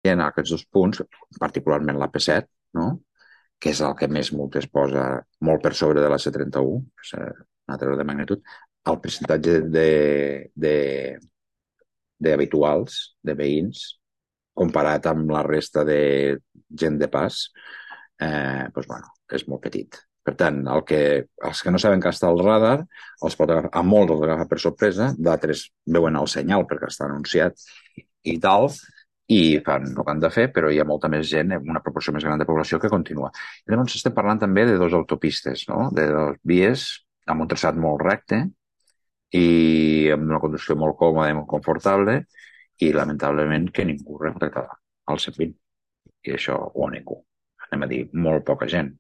I en aquests dos punts, particularment la P7, no? Que és el que més multes posa, molt per sobre de la C31, és un altre ordre de magnitud, el percentatge d'habituals, de veïns, comparat amb la resta de gent de pas, doncs, bueno, és molt petit. Per tant, els que no saben que està al radar, els pot agafar, a molts els agafa per sorpresa, d'altres veuen el senyal perquè està anunciat i tal, i fan el que han de fer, però hi ha molta més gent, una proporció més gran de població que continua. I llavors estem parlant també de dos autopistes, no? De dos vies amb un traçat molt recte i amb una conducció molt còmoda i molt confortable i lamentablement que ningú respecta el 120. I això, o ningú, anem a dir, molt poca gent.